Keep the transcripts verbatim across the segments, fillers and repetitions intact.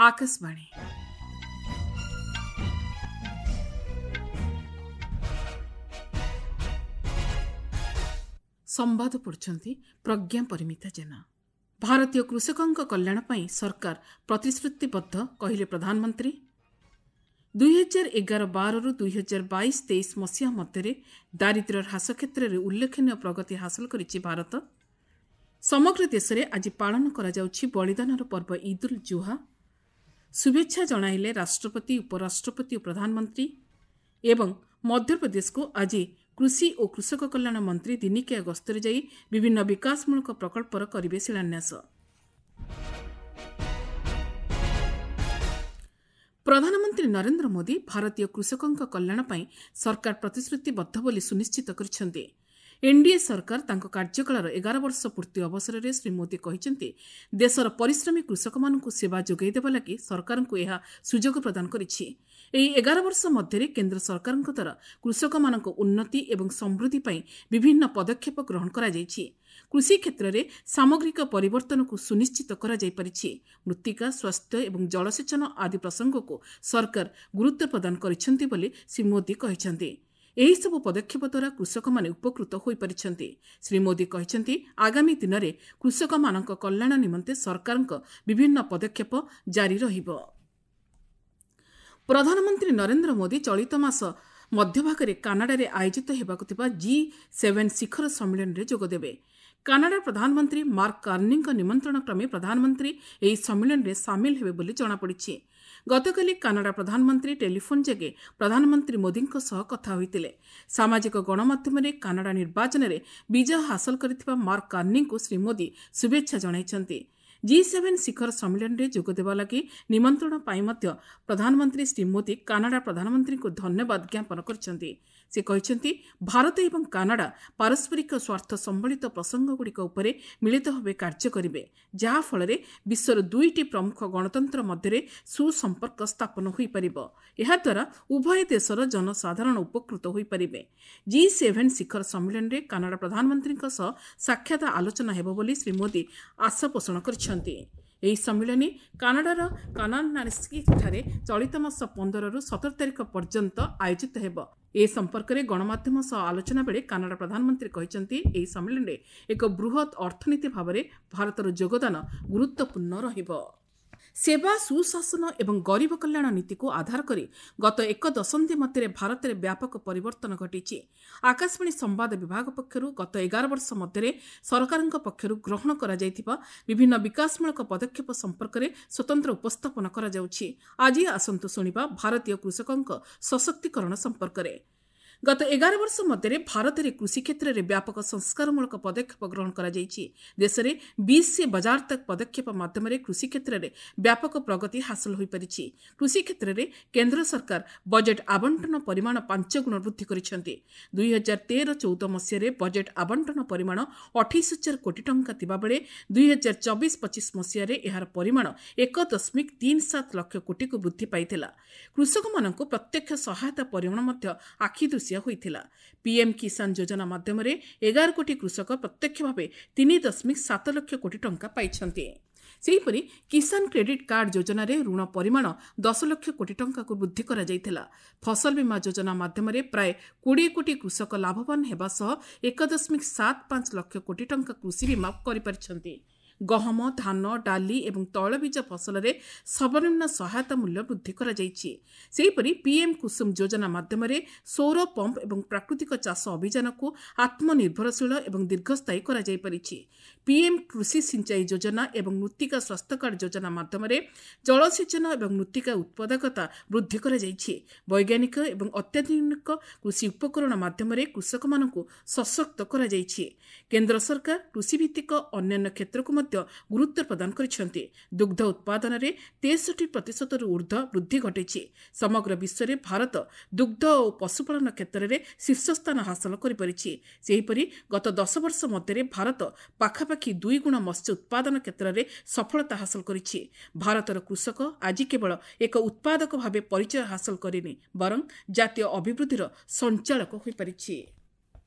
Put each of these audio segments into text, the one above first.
ଆକାଶବାଣୀ। ସମ୍ବାଦ ପଢୁଛନ୍ତି ପ୍ରଜ୍ଞା ପରିମିତା ଜେନା। ଭାରତୀୟ କୃଷକଙ୍କ କଲ୍ୟାଣ ପାଇଁ ସରକାର ପ୍ରତିଶ୍ରୁତିବଦ୍ଧ, କହିଲେ ପ୍ରଧାନମନ୍ତ୍ରୀ। ଦୁଇହଜାର ଏଗାର ବାରରୁ ଦୁଇହଜାର ବାଇଶ ତେଇଶ ମସିହା ମଧ୍ୟରେ ଦାରିଦ୍ର୍ୟ ହ୍ରାସ କ୍ଷେତ୍ରରେ ଉଲ୍ଲେଖନୀୟ ପ୍ରଗତି ହାସଲ କରିଛି ଭାରତ। ସମଗ୍ର ଦେଶରେ ଆଜି ପାଳନ କରାଯାଉଛି ବଳିଦାନର ପର୍ବ ଇଦ୍ ଉଲ୍ ଜୁହା। ଶୁଭେଚ୍ଛା ଜଣାଇଲେ ରାଷ୍ଟ୍ରପତି, ଉପରାଷ୍ଟ୍ରପତି ଓ ପ୍ରଧାନମନ୍ତ୍ରୀ। ଏବଂ ମଧ୍ୟପ୍ରଦେଶକୁ ଆଜି କୃଷି ଓ କୃଷକ କଲ୍ୟାଣ ମନ୍ତ୍ରୀ ଦିନିକିଆ ଗସ୍ତରେ ଯାଇ ବିଭିନ୍ନ ବିକାଶମୂଳକ ପ୍ରକଳ୍ପର କରିବେ ଶିଳାନ୍ୟାସ। ପ୍ରଧାନମନ୍ତ୍ରୀ ନରେନ୍ଦ୍ର ମୋଦି ଭାରତୀୟ କୃଷକଙ୍କ କଲ୍ୟାଣ ପାଇଁ ସରକାର ପ୍ରତିଶ୍ରୁତିବଦ୍ଧ ବୋଲି ସୁନିଶ୍ଚିତ କରିଛନ୍ତି। ଏନ୍ଡିଏ ସରକାର ତାଙ୍କ କାର୍ଯ୍ୟକାଳର ଏଗାର ବର୍ଷ ପୂର୍ତ୍ତି ଅବସରରେ ଶ୍ରୀ ମୋଦି କହିଛନ୍ତି, ଦେଶର ପରିଶ୍ରମୀ କୃଷକମାନଙ୍କୁ ସେବା ଯୋଗାଇ ଦେବା ଲାଗି ସରକାରଙ୍କୁ ଏହା ସୁଯୋଗ ପ୍ରଦାନ କରିଛି। ଏହି ଏଗାର ବର୍ଷ ମଧ୍ୟରେ କେନ୍ଦ୍ର ସରକାରଙ୍କ ଦ୍ୱାରା କୃଷକମାନଙ୍କ ଉନ୍ନତି ଏବଂ ସମୃଦ୍ଧି ପାଇଁ ବିଭିନ୍ନ ପଦକ୍ଷେପ ଗ୍ରହଣ କରାଯାଇଛି। କୃଷି କ୍ଷେତ୍ରରେ ସାମଗ୍ରିକ ପରିବର୍ତ୍ତନକୁ ସୁନିଶ୍ଚିତ କରାଯାଇପାରିଛି। ମୃତ୍ତିକା ସ୍ୱାସ୍ଥ୍ୟ ଏବଂ ଜଳସେଚନ ଆଦି ପ୍ରସଙ୍ଗକୁ ସରକାର ଗୁରୁତ୍ୱ ପ୍ରଦାନ କରିଛନ୍ତି ବୋଲି ଶ୍ରୀ ମୋଦି କହିଛନ୍ତି। ଏହିସବୁ ପଦକ୍ଷେପ ଦ୍ୱାରା କୃଷକମାନେ ଉପକୃତ ହୋଇପାରିଛନ୍ତି। ଶ୍ରୀ ମୋଦି କହିଛନ୍ତି, ଆଗାମୀ ଦିନରେ କୃଷକମାନଙ୍କ କଲ୍ୟାଣ ନିମନ୍ତେ ସରକାରଙ୍କ ବିଭିନ୍ନ ପଦକ୍ଷେପ ଜାରି ରହିବ। ପ୍ରଧାନମନ୍ତ୍ରୀ ନରେନ୍ଦ୍ର ମୋଦି ଚଳିତ ମାସ ମଧ୍ୟଭାଗରେ କାନାଡାରେ ଆୟୋଜିତ ହେବାକୁ ଥିବା ଜି ସେଭେନ୍ ଶିଖର ସମ୍ମିଳନୀରେ ଯୋଗଦେବେ। କାନାଡା ପ୍ରଧାନମନ୍ତ୍ରୀ ମାର୍କ କାର୍ନିଙ୍କ ନିମନ୍ତ୍ରଣ କ୍ରମେ ପ୍ରଧାନମନ୍ତ୍ରୀ ଏହି ସମ୍ମିଳନୀରେ ସାମିଲ ହେବେ ବୋଲି ଜଣାପଡ଼ିଛି। ଗତକାଲି କାନାଡା ପ୍ରଧାନମନ୍ତ୍ରୀ ଟେଲିଫୋନ୍ ଯୋଗେ ପ୍ରଧାନମନ୍ତ୍ରୀ ମୋଦିଙ୍କ ସହ କଥା ହୋଇଥିଲେ। ସାମାଜିକ ଗଣମାଧ୍ୟମରେ କାନାଡା ନିର୍ବାଚନରେ ବିଜୟ ହାସଲ କରିଥିବା ମାର୍କ କାର୍ନିଙ୍କୁ ଶ୍ରୀ ମୋଦି ଶୁଭେଚ୍ଛା ଜଣାଇଛନ୍ତି। ଜି ସେଭେନ୍ ଶିଖର ସମ୍ମିଳନୀରେ ଯୋଗଦେବା ଲାଗି ନିମନ୍ତ୍ରଣ ପାଇଁ ମଧ୍ୟ ପ୍ରଧାନମନ୍ତ୍ରୀ ଶ୍ରୀ ମୋଦି କାନାଡା ପ୍ରଧାନମନ୍ତ୍ରୀଙ୍କୁ ଧନ୍ୟବାଦ ଜ୍ଞାପନ କରିଛନ୍ତି। ସେ କହିଛନ୍ତି, ଭାରତ ଏବଂ କାନାଡା ପାରସ୍ପରିକ ସ୍ୱାର୍ଥ ସମ୍ବଳିତ ପ୍ରସଙ୍ଗଗୁଡ଼ିକ ଉପରେ ମିଳିତ ଭାବେ କାର୍ଯ୍ୟ କରିବେ, ଯାହାଫଳରେ ବିଶ୍ୱର ଦୁଇଟି ପ୍ରମୁଖ ଗଣତନ୍ତ୍ର ମଧ୍ୟରେ ସୁସମ୍ପର୍କ ସ୍ଥାପନ ହୋଇପାରିବ। ଏହାଦ୍ୱାରା ଉଭୟ ଦେଶର ଜନସାଧାରଣ ଉପକୃତ ହୋଇପାରିବେ। ଜି ସେଭେନ୍ ଶିଖର ସମ୍ମିଳନୀରେ କାନାଡା ପ୍ରଧାନମନ୍ତ୍ରୀଙ୍କ ସହ ସାକ୍ଷାତ ଆଲୋଚନା ହେବ ବୋଲି ଶ୍ରୀ ମୋଦି ଆଶା ପୋଷଣ କରିଛନ୍ତି। ଏହି ସମ୍ମିଳନୀ କାନାଡାର କାନାନାସ୍କିଠାରେ ଚଳିତ ମାସ ପନ୍ଦରରୁ ସତର ତାରିଖ ପର୍ଯ୍ୟନ୍ତ ଆୟୋଜିତ ହେବ। ଏ ସମ୍ପର୍କରେ ଗଣମାଧ୍ୟମ ସହ ଆଲୋଚନା ବେଳେ କାନାଡା ପ୍ରଧାନମନ୍ତ୍ରୀ କହିଛନ୍ତି, ଏହି ସମ୍ମିଳନୀରେ ଏକ ବୃହତ୍ ଅର୍ଥନୀତି ଭାବରେ ଭାରତର ଯୋଗଦାନ ଗୁରୁତ୍ୱପୂର୍ଣ୍ଣ ରହିବ। ସେବା, ସୁଶାସନ ଏବଂ ଗରିବ କଲ୍ୟାଣ ନୀତିକୁ ଆଧାର କରି ଗତ ଏକ ଦଶନ୍ଧି ମଧ୍ୟରେ ଭାରତରେ ବ୍ୟାପକ ପରିବର୍ତ୍ତନ ଘଟିଛି। ଆକାଶବାଣୀ ସମ୍ବାଦ ବିଭାଗ ପକ୍ଷରୁ ଗତ ଏଗାର ବର୍ଷ ମଧ୍ୟରେ ସରକାରଙ୍କ ପକ୍ଷରୁ ଗ୍ରହଣ କରାଯାଇଥିବା ବିଭିନ୍ନ ବିକାଶମୂଳକ ପଦକ୍ଷେପ ସମ୍ପର୍କରେ ସ୍ୱତନ୍ତ୍ର ଉପସ୍ଥାପନ କରାଯାଉଛି। ଆଜି ଆସନ୍ତୁ ଶୁଣିବା ଭାରତୀୟ କୃଷକଙ୍କ ସଶକ୍ତିକରଣ ସମ୍ପର୍କରେ। ଗତ ଏଗାର ବର୍ଷ ମଧ୍ୟରେ ଭାରତରେ କୃଷି କ୍ଷେତ୍ରରେ ବ୍ୟାପକ ସଂସ୍କାରମୂଳକ ପଦକ୍ଷେପ ଗ୍ରହଣ କରାଯାଇଛି। ଦେଶରେ ବିଶ ସେ ବଜାର ତକ୍ ପଦକ୍ଷେପ ମାଧ୍ୟମରେ କୃଷି କ୍ଷେତ୍ରରେ ବ୍ୟାପକ ପ୍ରଗତି ହାସଲ ହୋଇପାରିଛି। କୃଷି କ୍ଷେତ୍ରରେ କେନ୍ଦ୍ର ସରକାର ବଜେଟ୍ ଆବଣ୍ଟନ ପରିମାଣ ପାଞ୍ଚ ଗୁଣ ବୃଦ୍ଧି କରିଛନ୍ତି। ଦୁଇହଜାର ତେର ଚଉଦ ମସିହାରେ ବଜେଟ୍ ଆବଣ୍ଟନ ପରିମାଣ ଅଠେଇଶ ହଜାର କୋଟି ଟଙ୍କା ଥିବାବେଳେ ଦୁଇହଜାର ଚବିଶ ପଚିଶ ମସିହାରେ ଏହାର ପରିମାଣ ଏକ ଦଶମିକ ତିନି ସାତ ଲକ୍ଷ କୋଟିକୁ ବୃଦ୍ଧି ପାଇଥିଲା। କୃଷକମାନଙ୍କୁ ପ୍ରତ୍ୟକ୍ଷ ସହାୟତା ପରିମାଣ ମଧ୍ୟ ଆଖିଦୃଶିଆ ହୋଇଥିଲା। ପିଏମ୍ କିଷାନ ଯୋଜନା ମାଧ୍ୟମରେ ଏଗାର କୋଟି କୃଷକ ପ୍ରତ୍ୟକ୍ଷ ଭାବେ ତିନି ଦଶମିକ ସାତ ଲକ୍ଷ କୋଟି ଟଙ୍କା ପାଇଛନ୍ତି। ସେହିପରି କିଷାନ କ୍ରେଡିଟ୍ କାର୍ଡ ଯୋଜନାରେ ଋଣ ପରିମାଣ ଦଶ ଲକ୍ଷ କୋଟି ଟଙ୍କାକୁ ବୃଦ୍ଧି କରାଯାଇଥିଲା। ଫସଲ ବୀମା ଯୋଜନା ମାଧ୍ୟମରେ ପ୍ରାୟ କୋଡ଼ିଏ କୋଟି କୃଷକ ଲାଭବାନ ହେବା ସହ ଏକ ଦଶମିକ ସାତ ପାଞ୍ଚ ଲକ୍ଷ କୋଟି ଟଙ୍କା କୃଷି ବୀମା କରିପାରିଛନ୍ତି। ଗହମ, ଧାନ, ଡାଲି ଏବଂ ତୈଳବୀଜ ଫସଲରେ ସର୍ବନିମ୍ନ ସହାୟତା ମୂଲ୍ୟ ବୃଦ୍ଧି କରାଯାଇଛି। ସେହିପରି ପିଏମ୍ କୁସୁମ ଯୋଜନା ମାଧ୍ୟମରେ ସୌର ପମ୍ପ ଏବଂ ପ୍ରାକୃତିକ ଚାଷ ଅଭିଯାନକୁ ଆତ୍ମନିର୍ଭରଶୀଳ ଏବଂ ଦୀର୍ଘସ୍ଥାୟୀ କରାଯାଇପାରିଛି। ପିଏମ୍ କୃଷି ସିଞ୍ଚାଇ ଯୋଜନା ଏବଂ ମୃତ୍ତିକା ସ୍ୱାସ୍ଥ୍ୟ କାର୍ଡ ଯୋଜନା ମାଧ୍ୟମରେ ଜଳସେଚନ ଏବଂ ମୃତ୍ତିକା ଉତ୍ପାଦକତା ବୃଦ୍ଧି କରାଯାଇଛି। ବୈଜ୍ଞାନିକ ଏବଂ ଅତ୍ୟାଧୁନିକ କୃଷି ଉପକରଣ ମାଧ୍ୟମରେ କୃଷକମାନଙ୍କୁ ସଶକ୍ତ କରାଯାଇଛି। କେନ୍ଦ୍ର ସରକାର କୃଷିଭିତ୍ତିକ ଅନ୍ୟାନ୍ୟ କ୍ଷେତ୍ରକୁ ମଧ୍ୟ ଗୁରୁତ୍ୱ ପ୍ରଦାନ କରିଛନ୍ତି। ଦୁଗ୍ଧ ଉତ୍ପାଦନରେ ତେଷଠି ପ୍ରତିଶତରୁ ଉର୍ଦ୍ଧ୍ୱ ବୃଦ୍ଧି ଘଟିଛି। ସମଗ୍ର ବିଶ୍ୱରେ ଭାରତ ଦୁଗ୍ଧ ଓ ପଶୁପାଳନ କ୍ଷେତ୍ରରେ ଶୀର୍ଷସ୍ଥାନ ହାସଲ କରିପାରିଛି। ସେହିପରି ଗତ ଦଶ ବର୍ଷ ମଧ୍ୟରେ ଭାରତ ପାଖାପାଖି ଦୁଇ ଗୁଣ ମତ୍ସ୍ୟ ଉତ୍ପାଦନ କ୍ଷେତ୍ରରେ ସଫଳତା ହାସଲ କରିଛି। ଭାରତର କୃଷକ ଆଜି କେବଳ ଏକ ଉତ୍ପାଦକ ଭାବେ ପରିଚୟ ହାସଲ କରିନି, ବରଂ ଜାତୀୟ ଅଭିବୃଦ୍ଧିର ସଞ୍ଚାଳକ ହୋଇପାରିଛି।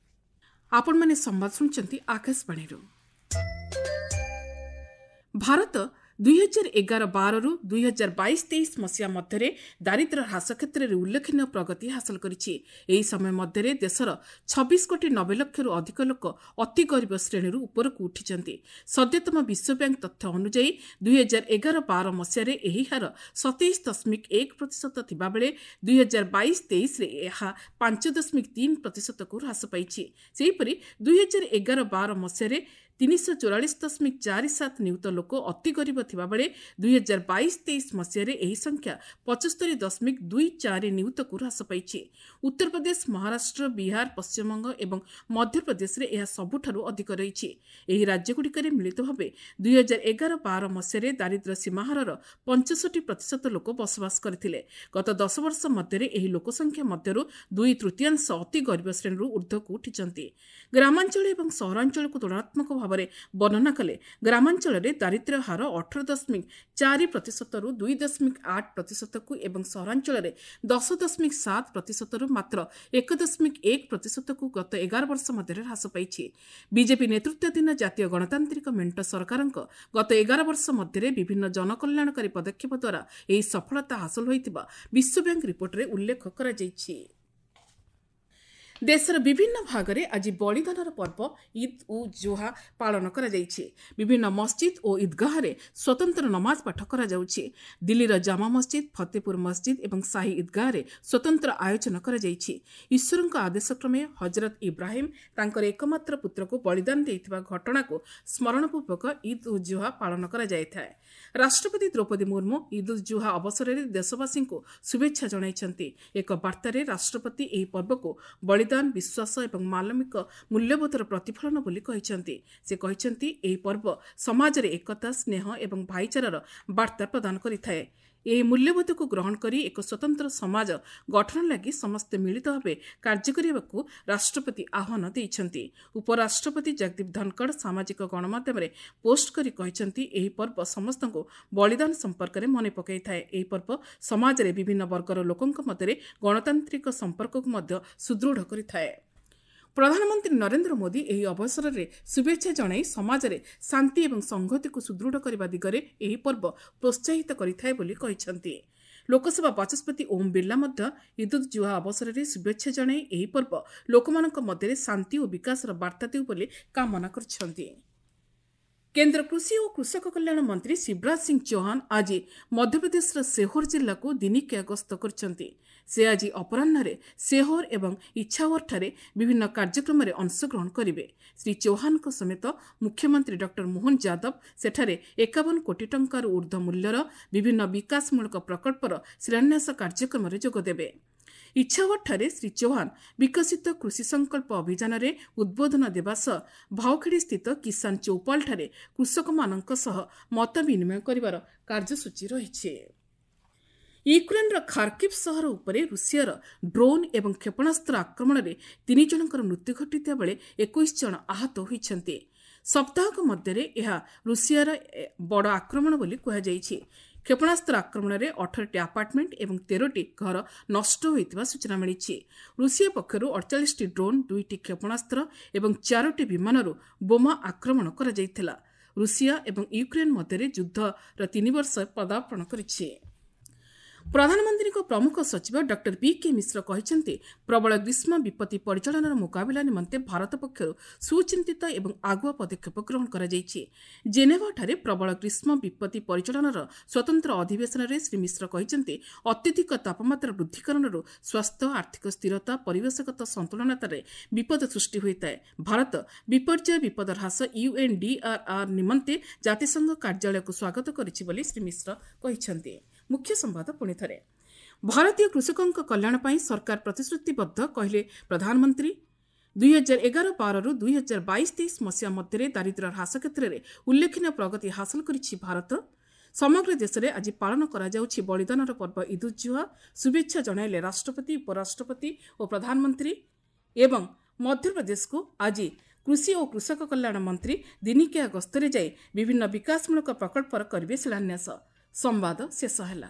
ଆପଣମାନେ ସମ୍ବାଦ ଶୁଣୁଛନ୍ତି ଆକାଶବାଣୀରୁ। ଭାରତ ଦୁଇହଜାର ଏଗାର ବାରରୁ ଦୁଇହଜାର ବାଇଶ ତେଇଶ ମସିହା ମଧ୍ୟରେ ଦାରିଦ୍ର୍ୟ ହ୍ରାସ କ୍ଷେତ୍ରରେ ଉଲ୍ଲେଖନୀୟ ପ୍ରଗତି ହାସଲ କରିଛି। ଏହି ସମୟ ମଧ୍ୟରେ ଦେଶର ଛବିଶ କୋଟି ନବେ ଲକ୍ଷରୁ ଅଧିକ ଲୋକ ଅତି ଗରିବ ଶ୍ରେଣୀରୁ ଉପରକୁ ଉଠିଛନ୍ତି। ସଦ୍ୟତମ ବିଶ୍ୱ ବ୍ୟାଙ୍କ ତଥ୍ୟ ଅନୁଯାୟୀ ଦୁଇହଜାର ଏଗାର ବାର ମସିହାରେ ଏହି ହାର ସତେଇଶ ଦଶମିକ ଏକ ପ୍ରତିଶତ ଥିବାବେଳେ ଦୁଇହଜାର ବାଇଶ ତେଇଶରେ ଏହା ପାଞ୍ଚ ଦଶମିକ ତିନି ପ୍ରତିଶତକୁ ହ୍ରାସ ପାଇଛି। ସେହିପରି ଦୁଇହଜାର ଏଗାର ବାର ମସିହାରେ ତିନିଶହ ଚଉରାଳିଶ ଦଶମିକ ଚାରି ସାତ ନିୟୁତ ଲୋକ ଅତି ଗରିବ ଥିବାବେଳେ ଦୁଇହଜାର ବାଇଶ ତେଇଶ ମସିହାରେ ଏହି ସଂଖ୍ୟା ପଞ୍ଚସ୍ତରୀ ଦଶମିକ ଦୁଇ ଚାରି ନିୟୁତକୁ ହ୍ରାସ ପାଇଛି। ଉତ୍ତରପ୍ରଦେଶ, ମହାରାଷ୍ଟ୍ର, ବିହାର, ପଶ୍ଚିମବଙ୍ଗ ଏବଂ ମଧ୍ୟପ୍ରଦେଶରେ ଏହା ସବୁଠାରୁ ଅଧିକ ରହିଛି। ଏହି ରାଜ୍ୟଗୁଡ଼ିକରେ ମିଳିତ ଭାବେ ଦୁଇହଜାର ଏଗାର ବାର ମସିହାରେ ଦାରିଦ୍ର୍ୟ ସୀମାହାରର ପଞ୍ଚଷଠି ପ୍ରତିଶତ ଲୋକ ବସବାସ କରିଥିଲେ। ଗତ ଦଶ ବର୍ଷ ମଧ୍ୟରେ ଏହି ଲୋକସଂଖ୍ୟା ମଧ୍ୟରୁ ଦୁଇ ତୃତୀୟାଂଶ ଅତି ଗରିବ ଶ୍ରେଣୀରୁ ଉର୍ଦ୍ଧ୍ୱକୁ ଉଠିଛନ୍ତି। ଗ୍ରାମାଞ୍ଚଳ ଏବଂ ସହରାଞ୍ଚଳକୁ ତୁଳନାତ୍ମକ ଭାବରେ ବର୍ଣ୍ଣନା କଲେ ଗ୍ରାମାଞ୍ଚଳରେ ଦାରିଦ୍ର୍ୟ ହାର ଅଠର ଦଶମିକ ଚାରି ପ୍ରତିଶତରୁ ଦୁଇ ଦଶମିକ ଆଠ ପ୍ରତିଶତକୁ ଏବଂ ସହରାଞ୍ଚଳରେ ଦଶ ଦଶମିକ ସାତ ପ୍ରତିଶତରୁ ମାତ୍ର ଏକ ଦଶମିକ ଏକ ପ୍ରତିଶତକୁ ଗତ ଏଗାର ବର୍ଷ ମଧ୍ୟରେ ହ୍ରାସ ପାଇଛି। ବିଜେପି ନେତୃତ୍ୱାଧୀନ ଜାତୀୟ ଗଣତାନ୍ତ୍ରିକ ମେଣ୍ଟ ସରକାରଙ୍କ ଗତ ଏଗାର ବର୍ଷ ମଧ୍ୟରେ ବିଭିନ୍ନ ଜନକଲ୍ୟାଣକାରୀ ପଦକ୍ଷେପ ଦ୍ୱାରା ଏହି ସଫଳତା ହାସଲ ହୋଇଥିବା ବିଶ୍ୱ ବ୍ୟାଙ୍କ ରିପୋର୍ଟରେ ଉଲ୍ଲେଖ କରାଯାଇଛି। ଦେଶର ବିଭିନ୍ନ ଭାଗରେ ଆଜି ବଳିଦାନର ପର୍ବ ଇଦ୍ ଉଲ୍ ଜୁହା ପାଳନ କରାଯାଇଛି। ବିଭିନ୍ନ ମସଜିଦ୍ ଓ ଇଦ୍ଗାହରେ ସ୍ୱତନ୍ତ୍ର ନମାଜ ପାଠ କରାଯାଉଛି। ଦିଲ୍ଲୀର ଜାମା ମସଜିଦ୍, ଫତେପୁର ମସଜିଦ୍ ଏବଂ ସାହି ଇଦ୍ଗାହରେ ସ୍ୱତନ୍ତ୍ର ଆୟୋଜନ କରାଯାଇଛି। ଈଶ୍ୱରଙ୍କ ଆଦେଶକ୍ରମେ ହଜରତ ଇବ୍ରାହିମ୍ ତାଙ୍କର ଏକମାତ୍ର ପୁତ୍ରକୁ ବଳିଦାନ ଦେଇଥିବା ଘଟଣାକୁ ସ୍ମରଣପୂର୍ବକ ଇଦ୍ ଉଲ୍ ଜୁହା ପାଳନ କରାଯାଇଥାଏ। ରାଷ୍ଟ୍ରପତି ଦ୍ରୌପଦୀ ମୁର୍ମୁ ଇଦ୍ ଉଲ୍ ଜୁହା ଅବସରରେ ଦେଶବାସୀଙ୍କୁ ଶୁଭେଚ୍ଛା ଜଣାଇଛନ୍ତି। ଏକ ବାର୍ତ୍ତାରେ ରାଷ୍ଟ୍ରପତି ଏହି ପର୍ବକୁ ବଳିଦାନ, ବିଶ୍ୱାସ ଏବଂ ମାନବିକ ମୂଲ୍ୟବୋଧର ପ୍ରତିଫଳନ ବୋଲି କହିଛନ୍ତି। ସେ କହିଛନ୍ତି, ଏହି ପର୍ବ ସମାଜରେ ଏକତା, ସ୍ନେହ ଏବଂ ଭାଇଚାରାର ବାର୍ତ୍ତା ପ୍ରଦାନ କରିଥାଏ। ଏହି ମୂଲ୍ୟବୋଧକୁ ଗ୍ରହଣ କରି ଏକ ସ୍ୱତନ୍ତ୍ର ସମାଜ ଗଠନ ଲାଗି ସମସ୍ତେ ମିଳିତ ଭାବେ କାର୍ଯ୍ୟ କରିବାକୁ ରାଷ୍ଟ୍ରପତି ଆହ୍ୱାନ ଦେଇଛନ୍ତି। ଉପରାଷ୍ଟ୍ରପତି ଜଗଦୀପ ଧନଖଡ଼ ସାମାଜିକ ଗଣମାଧ୍ୟମରେ ପୋଷ୍ଟ କରି କହିଛନ୍ତି, ଏହି ପର୍ବ ସମସ୍ତଙ୍କୁ ବଳିଦାନ ସମ୍ପର୍କରେ ମନେ ପକାଇଥାଏ। ଏହି ପର୍ବ ସମାଜରେ ବିଭିନ୍ନ ବର୍ଗର ଲୋକଙ୍କ ମଧ୍ୟରେ ଗଣତାନ୍ତ୍ରିକ ସମ୍ପର୍କକୁ ମଧ୍ୟ ସୁଦୃଢ଼ କରିଥାଏ। ପ୍ରଧାନମନ୍ତ୍ରୀ ନରେନ୍ଦ୍ର ମୋଦି ଏହି ଅବସରରେ ଶୁଭେଚ୍ଛା ଜଣାଇ ସମାଜରେ ଶାନ୍ତି ଏବଂ ସଂହତିକୁ ସୁଦୃଢ଼ କରିବା ଦିଗରେ ଏହି ପର୍ବ ପ୍ରୋତ୍ସାହିତ କରିଥାଏ ବୋଲି କହିଛନ୍ତି। ଲୋକସଭା ବାଚସ୍ପତି ଓମ୍ ବିର୍ଲା ମଧ୍ୟ ଇଦ୍ ଉଲ୍ ଜୁହା ଅବସରରେ ଶୁଭେଚ୍ଛା ଜଣାଇ ଏହି ପର୍ବ ଲୋକମାନଙ୍କ ମଧ୍ୟରେ ଶାନ୍ତି ଓ ବିକାଶର ବାର୍ତ୍ତା ଦେଉ ବୋଲି କାମନା କରିଛନ୍ତି। କେନ୍ଦ୍ର କୃଷି ଓ କୃଷକ କଲ୍ୟାଣ ମନ୍ତ୍ରୀ ଶିବରାଜ ସିଂ ଚୌହାନ ଆଜି ମଧ୍ୟପ୍ରଦେଶର ସେହୋର ଜିଲ୍ଲାକୁ ଦିନିକିଆ ଗସ୍ତ କରିଛନ୍ତି। ସେ ଆଜି ଅପରାହ୍ନରେ ସେହୋର ଏବଂ ଇଛାଓରଠାରେ ବିଭିନ୍ନ କାର୍ଯ୍ୟକ୍ରମରେ ଅଂଶଗ୍ରହଣ କରିବେ। ଶ୍ରୀ ଚୌହାନଙ୍କ ସମେତ ମୁଖ୍ୟମନ୍ତ୍ରୀ ଡକ୍ଟର ମୋହନ ଯାଦବ ସେଠାରେ ଏକାବନ କୋଟି ଟଙ୍କାରୁ ଉର୍ଦ୍ଧ୍ୱ ମୂଲ୍ୟର ବିଭିନ୍ନ ବିକାଶମୂଳକ ପ୍ରକଳ୍ପର ଶିଳାନ୍ୟାସ କାର୍ଯ୍ୟକ୍ରମରେ ଯୋଗଦେବେ। ଇଛାଓରଠାରେ ଶ୍ରୀ ଚୌହାନ ବିକଶିତ କୃଷି ସଂକଳ୍ପ ଅଭିଯାନରେ ଉଦ୍ବୋଧନ ଦେବା ସହ ଭାଉଖେଡ଼ି ସ୍ଥିତ କିଷାନ ଚୌପାଲଠାରେ କୃଷକମାନଙ୍କ ସହ ମତ ବିନିମୟ କରିବାର କାର୍ଯ୍ୟସୂଚୀ ରହିଛି। ୟୁକ୍ରେନ୍ର ଖାର୍କିଭ୍ ସହର ଉପରେ ରୁଷିଆର ଡ୍ରୋନ୍ ଏବଂ କ୍ଷେପଣାସ୍ତ୍ର ଆକ୍ରମଣରେ ତିନି ଜଣଙ୍କର ମୃତ୍ୟୁ ଘଟିଥିବା ବେଳେ ଏକୋଇଶ ଜଣ ଆହତ ହୋଇଛନ୍ତି। ସପ୍ତାହକ ମଧ୍ୟରେ ଏହା ରୁଷିଆର ବଡ଼ ଆକ୍ରମଣ ବୋଲି କୁହାଯାଇଛି। କ୍ଷେପଣାସ୍ତ୍ର ଆକ୍ରମଣରେ ଅଠରଟି ଆପାର୍ଟମେଣ୍ଟ ଏବଂ ତେରଟି ଘର ନଷ୍ଟ ହୋଇଥିବା ସୂଚନା ମିଳିଛି। ରୁଷିଆ ପକ୍ଷରୁ ଅଡ଼ଚାଳିଶଟି ଡ୍ରୋନ୍, ଦୁଇଟି କ୍ଷେପଣାସ୍ତ୍ର ଏବଂ ଚାରୋଟି ବିମାନରୁ ବୋମା ଆକ୍ରମଣ କରାଯାଇଥିଲା। ରୁଷିଆ ଏବଂ ୟୁକ୍ରେନ୍ ମଧ୍ୟରେ ଯୁଦ୍ଧର ତିନି ବର୍ଷ ପଦାର୍ପଣ କରିଛି। ପ୍ରଧାନମନ୍ତ୍ରୀଙ୍କ ପ୍ରମୁଖ ସଚିବ ଡକ୍ଟର ପି କେ ମିଶ୍ର କହିଛନ୍ତି, ପ୍ରବଳ ଗ୍ରୀଷ୍ମ ବିପତ୍ତି ପରିଚାଳନାର ମୁକାବିଲା ନିମନ୍ତେ ଭାରତ ପକ୍ଷରୁ ସୁଚିନ୍ତିତ ଏବଂ ଆଗୁଆ ପଦକ୍ଷେପ ଗ୍ରହଣ କରାଯାଇଛି। ଜେନେଭାଠାରେ ପ୍ରବଳ ଗ୍ରୀଷ୍ମ ବିପତ୍ତି ପରିଚାଳନାର ସ୍ୱତନ୍ତ୍ର ଅଧିବେଶନରେ ଶ୍ରୀ ମିଶ୍ର କହିଛନ୍ତି, ଅତ୍ୟଧିକ ତାପମାତ୍ରା ବୃଦ୍ଧି କାରଣରୁ ସ୍ୱାସ୍ଥ୍ୟ, ଆର୍ଥିକ ସ୍ଥିରତା, ପରିବେଶଗତ ସନ୍ତୁଳନତାରେ ବିପଦ ସୃଷ୍ଟି ହୋଇଥାଏ। ଭାରତ ବିପର୍ଯ୍ୟୟ ବିପଦ ହ୍ରାସ ୟୁଏନ୍ଡିଆର୍ଆର୍ ନିମନ୍ତେ ଜାତିସଂଘ କାର୍ଯ୍ୟାଳୟକୁ ସ୍ୱାଗତ କରିଛି ବୋଲି ଶ୍ରୀ ମିଶ୍ର କହିଛନ୍ତି। ମୁଖ୍ୟ ସମ୍ବାଦ ପୁଣି ଥରେ, ଭାରତୀୟ କୃଷକଙ୍କ କଲ୍ୟାଣ ପାଇଁ ସରକାର ପ୍ରତିଶ୍ରୁତିବଦ୍ଧ କହିଲେ ପ୍ରଧାନମନ୍ତ୍ରୀ। ଦୁଇହଜାର ଏଗାର ବାରରୁ ଦୁଇହଜାର ବାଇଶ ତେଇଶ ମସିହା ମଧ୍ୟରେ ଦାରିଦ୍ର୍ୟ ହ୍ରାସ କ୍ଷେତ୍ରରେ ଉଲ୍ଲେଖନୀୟ ପ୍ରଗତି ହାସଲ କରିଛି ଭାରତ। ସମଗ୍ର ଦେଶରେ ଆଜି ପାଳନ କରାଯାଉଛି ବଳିଦାନର ପର୍ବ ଇଦ୍ ଉଲ୍ ଜୁହା। ଶୁଭେଚ୍ଛା ଜଣାଇଲେ ରାଷ୍ଟ୍ରପତି, ଉପରାଷ୍ଟ୍ରପତି ଓ ପ୍ରଧାନମନ୍ତ୍ରୀ। ଏବଂ ମଧ୍ୟପ୍ରଦେଶକୁ ଆଜି କୃଷି ଓ କୃଷକ କଲ୍ୟାଣ ମନ୍ତ୍ରୀ ଦିନିକିଆ ଗସ୍ତରେ ଯାଇ ବିଭିନ୍ନ ବିକାଶମୂଳକ ପ୍ରକଳ୍ପର କରିବେ ଶିଳାନ୍ୟାସ। ସମ୍ବାଦ ଶେଷ ହେଲା।